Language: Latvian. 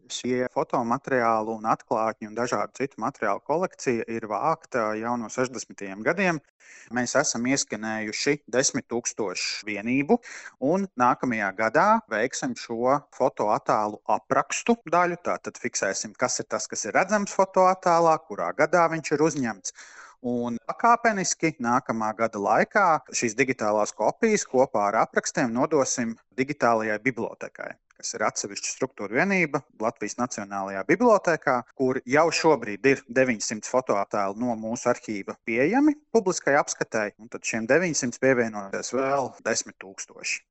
Šie fotomateriālu un atklātņu un dažādu citu materiālu kolekcija ir vākta jau no 60. gadiem. Mēs esam ieskanējuši 10 000 vienību, un nākamajā gadā veiksim šo fotoattēlu aprakstu daļu. Tātad fiksēsim, kas ir tas, kas ir redzams fotoattēlā, kurā gadā viņš ir uzņemts. Un pakāpeniski nākamā gada laikā šīs digitālās kopijas kopā ar aprakstiem nodosim digitālajai bibliotēkai, kas ir atsevišķa struktūra vienība Latvijas Nacionālajā bibliotēkā, kur jau šobrīd ir 900 fotoattēlu no mūsu arhīva pieejami publiskai apskatei, un tad šiem 900 pievienojas vēl 10 000.